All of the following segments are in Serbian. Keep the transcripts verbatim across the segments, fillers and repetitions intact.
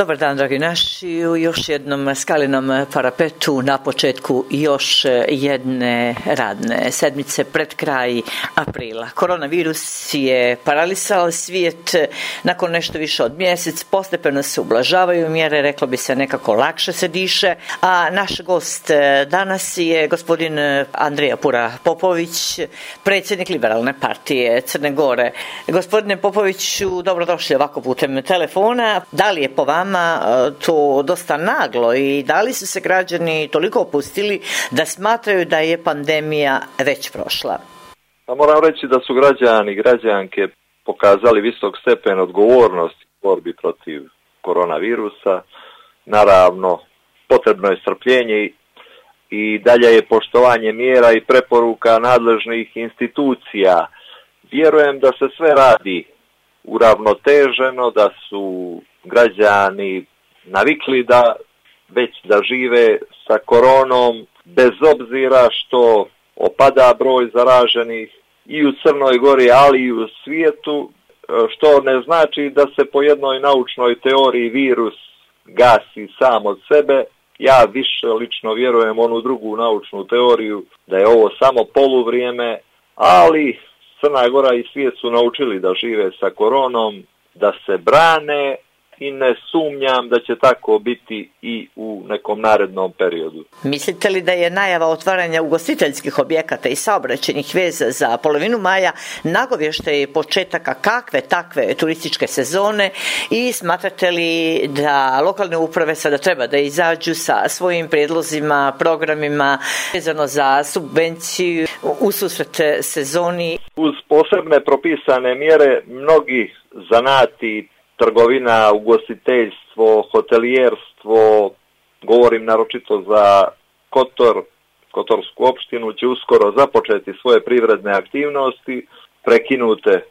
Dobar dan, dragi naši, u još jednom skalinom parapetu na početku još jedne radne sedmice pred kraj aprila. Koronavirus je paralisao svijet nakon nešto više od mjesec, postepeno se ublažavaju mjere, reklo bi se nekako lakše se diše, a naš gost danas je gospodin Andrija Pura Popović, predsjednik Liberalne partije Crne Gore. Gospodine Popoviću, dobrodošli ovako putem telefona. Da li je po vama to dosta naglo i da li su se građani toliko opustili da smatraju da je pandemija već prošla? Pa moram reći da su građani i građanke pokazali visok stepen odgovornosti u borbi protiv koronavirusa. Naravno, potrebno je strpljenje i dalje je poštovanje mjera i preporuka nadležnih institucija. Vjerujem da se sve radi uravnoteženo, da su građani navikli da već da žive sa koronom, bez obzira što opada broj zaraženih i u Crnoj Gori, ali i u svijetu, što ne znači da se po jednoj naučnoj teoriji virus gasi sam od sebe. Ja više lično vjerujem u onu drugu naučnu teoriju, da je ovo samo poluvrijeme, ali Crna Gora i svijet su naučili da žive sa koronom, da se brane i ne sumnjam da će tako biti i u nekom narednom periodu. Mislite li da je najava otvaranja ugostiteljskih objekata i saobraćajnih veza za polovinu maja nagovještaj početaka kakve takve turističke sezone i smatrate li da lokalne uprave sada treba da izađu sa svojim prijedlozima, programima vezano za subvenciju u susret sezoni? Uz posebne propisane mjere mnogi zanati, trgovina, ugostiteljstvo, hotelijerstvo, govorim naročito za Kotor, Kotorsku opštinu, će uskoro započeti svoje privredne aktivnosti, prekinute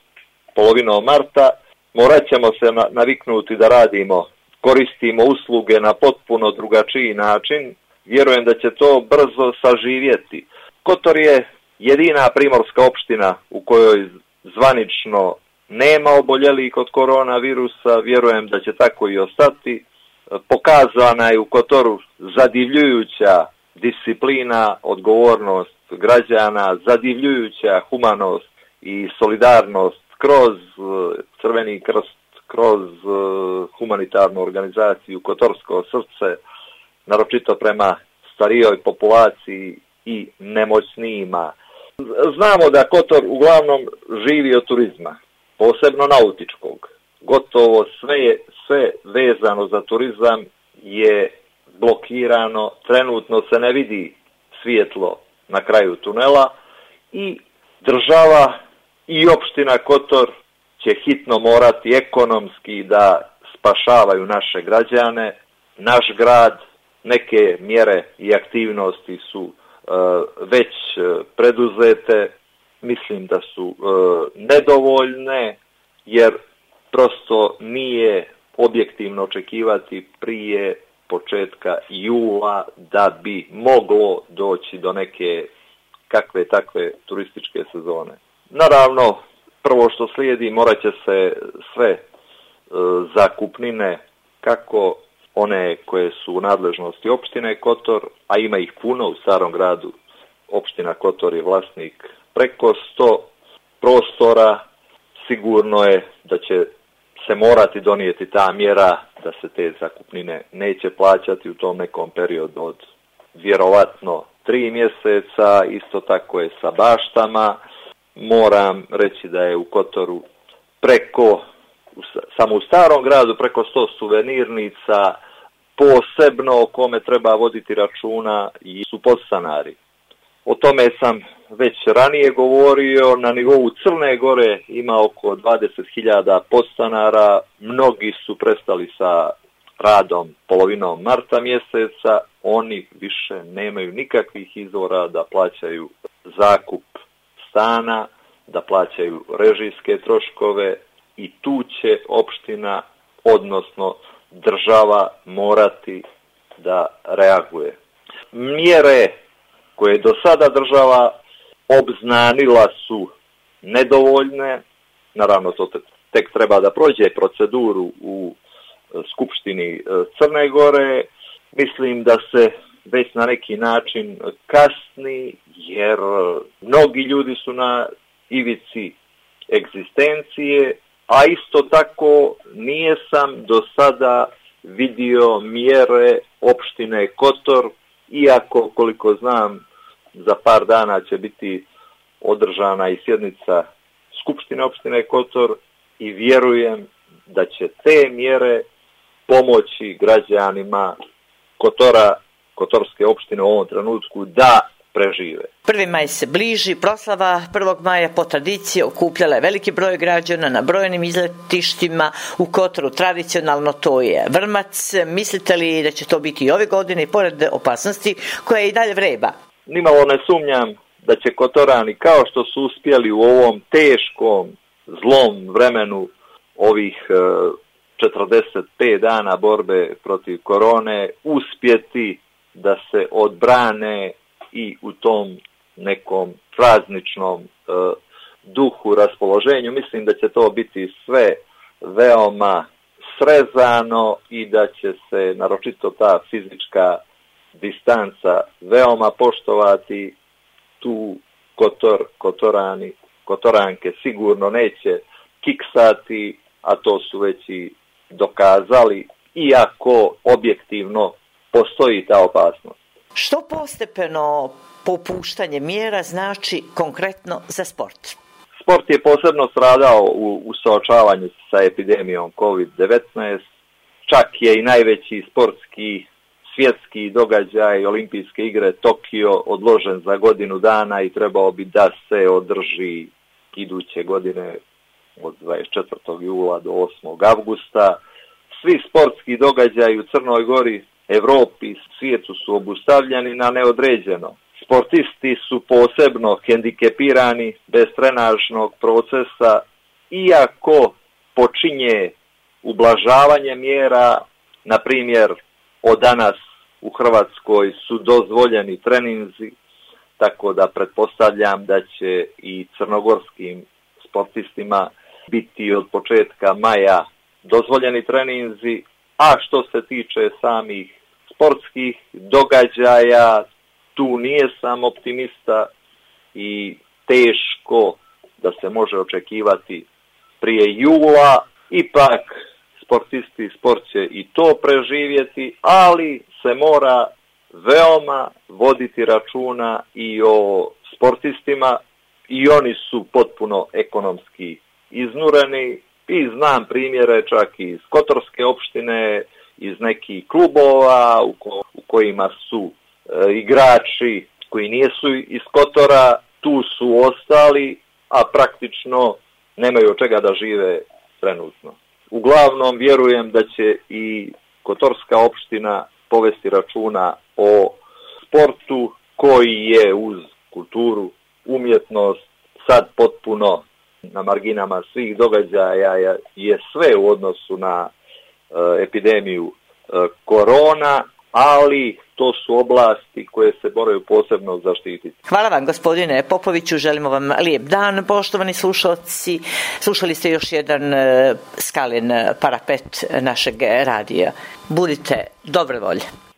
polovinom marta. Morat ćemo se naviknuti da radimo, koristimo usluge na potpuno drugačiji način. Vjerujem da će to brzo saživjeti. Kotor je jedina primorska opština u kojoj zvanično nema oboljelih od koronavirusa, vjerujem da će tako i ostati. Pokazana je u Kotoru zadivljujuća disciplina, odgovornost građana, zadivljujuća humanost i solidarnost kroz Crveni krst, kroz humanitarnu organizaciju Kotorsko srce, naročito prema starijoj populaciji i nemoćnijima. Znamo da Kotor uglavnom živi od turizma, posebno nautičkog. Gotovo sve je, sve vezano za turizam je blokirano, trenutno se ne vidi svjetlo na kraju tunela i država i opština Kotor će hitno morati ekonomski da spašavaju naše građane, naš grad. Neke mjere i aktivnosti su uh, već preduzete, mislim da su uh, nedovoljne, jer prosto nije objektivno očekivati prije početka jula da bi moglo doći do neke kakve takve turističke sezone. Naravno, prvo što slijedi, morat će se sve uh, zakupnine, kako one koje su u nadležnosti opštine Kotor, a ima ih puno u Starom gradu. Opština Kotor je vlasnik preko sto prostora. Sigurno je da će se morati donijeti ta mjera da se te zakupnine neće plaćati u tom nekom periodu od vjerovatno tri mjeseca. Isto tako je sa baštama. Moram reći da je u Kotoru preko, samo u Starom gradu, preko sto suvenirnica, posebno o kome treba voditi računa i su podstanari. O tome sam već ranije govorio, na nivou Crne Gore ima oko dvadeset hiljada podstanara, mnogi su prestali sa radom polovinom marta mjeseca, oni više nemaju nikakvih izvora da plaćaju zakup stana, da plaćaju režijske troškove i tu će opština, odnosno država, morati da reaguje. Mjere koje do sada država obznanila su nedovoljne, naravno to tek treba da prođe proceduru u Skupštini Crne Gore. Mislim da se već na neki način kasni, jer mnogi ljudi su na ivici egzistencije, a isto tako nije sam do sada vidio mjere opštine Kotor, iako koliko znam za par dana će biti održana i sjednica Skupštine opštine Kotor i vjerujem da će te mjere pomoći građanima Kotora, Kotorske opštine u ovom trenutku da prežive. Prvi maj se bliži, proslava prvog maja po tradiciji okupljala je veliki broj građana na brojnim izletištima u Kotoru. Tradicionalno to je vrmac. Mislite li da će to biti i ove godine i pored opasnosti koja i dalje vreba? Nimalo ne sumnjam da će Kotorani, kao što su uspjeli u ovom teškom, zlom vremenu ovih četrdeset pet dana borbe protiv korone, uspjeti da se odbrane i u tom nekom prazničnom e, duhu, raspoloženju. Mislim da će to biti sve veoma srezano i da će se naročito ta fizička distanca veoma poštovati. Tu Kotor, Kotorani, Kotoranke sigurno neće kiksati, a to su već i dokazali, iako objektivno postoji ta opasnost. Što postepeno popuštanje mjera znači konkretno za sport? Sport je posebno stradao u, u suočavanju sa epidemijom kovid devetnaest. Čak je i najveći sportski svjetski događaj, olimpijske igre Tokio, odložen za godinu dana i trebao bi da se održi iduće godine od dvadeset četvrtog jula do osmog avgusta. Svi sportski događaji u Crnoj Gori, Evropi, svijetu su obustavljeni na neodređeno. Sportisti su posebno hendikepirani bez trenažnog procesa, iako počinje ublažavanje mjera. Na primjer, od danas u Hrvatskoj su dozvoljeni treninzi, tako da pretpostavljam da će i crnogorskim sportistima biti od početka maja dozvoljeni treninzi. A što se tiče samih sportskih događaja, tu nije sam optimista i teško da se može očekivati prije jula. Ipak sportisti, sport će i to preživjeti, ali se mora veoma voditi računa i o sportistima i oni su potpuno ekonomski iznureni. I znam primjere čak iz Kotorske opštine, iz nekih klubova u, ko, u kojima su e, igrači koji nisu iz Kotora, tu su ostali, a praktično nemaju od čega da žive trenutno. Uglavnom vjerujem da će i Kotorska opština povesti računa o sportu koji je uz kulturu, umjetnost sad potpuno na marginama svih događaja, je sve u odnosu na e, epidemiju e, korona, ali to su oblasti koje se moraju posebno zaštititi. Hvala vam, gospodine Popoviću, želimo vam lijep dan, poštovani slušalci. Slušali ste još jedan e, Skalin parapet našeg radija. Budite dobre volje.